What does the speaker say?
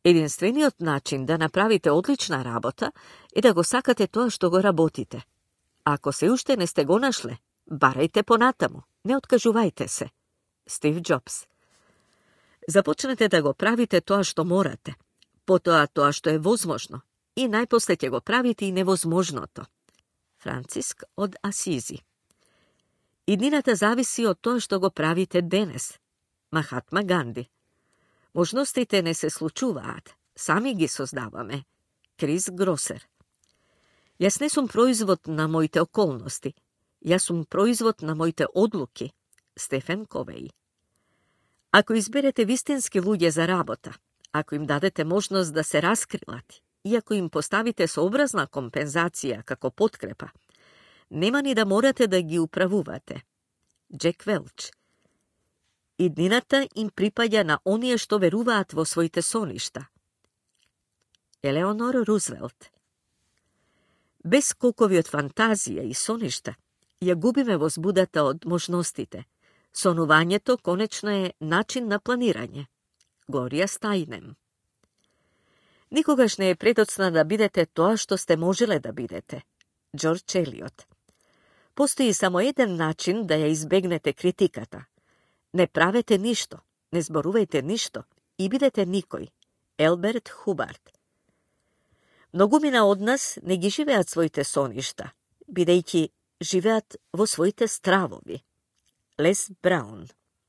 Единствениот начин да направите одлична работа е да го сакате тоа што го работите. Ако се уште не сте го нашле, барајте понатаму, не откажувајте се. Стив Џобс. Започнете да го правите тоа што морате, потоа тоа што е возможно, и најпосле ќе го правите и невозможното. Франциск од Асизи. Иднината зависи од тоа што го правите денес. Махатма Ганди. Можностите не се случуваат, сами ги создаваме. Крис Гросер. Јас не сум производ на моите околности, јас сум производ на моите одлуки. Стефен Ковеј. Ако изберете вистински луѓе за работа, ако им дадете можност да се раскрилат и ако им поставите сообразна компензација како подкрепа, нема ни да морате да ги управувате. Джек Велч. Иднината им припаѓа на оние што веруваат во своите соништа. Елеонор Рузвелт. Без скокови од фантазија и соништа, ја губиме возбудата од можностите. Сонувањето конечно е начин на планирање. Глорија Стајнем. Никогаш не е предоцна да бидете тоа што сте можеле да бидете. Џорџ Елиот. Постои само еден начин да ја избегнете критиката. Не правете ништо, не зборувајте ништо и бидете никој. Елберт Хубарт. Многумина од нас не ги живеат своите соништа, бидејќи живеат во своите стравови. Лес Браун.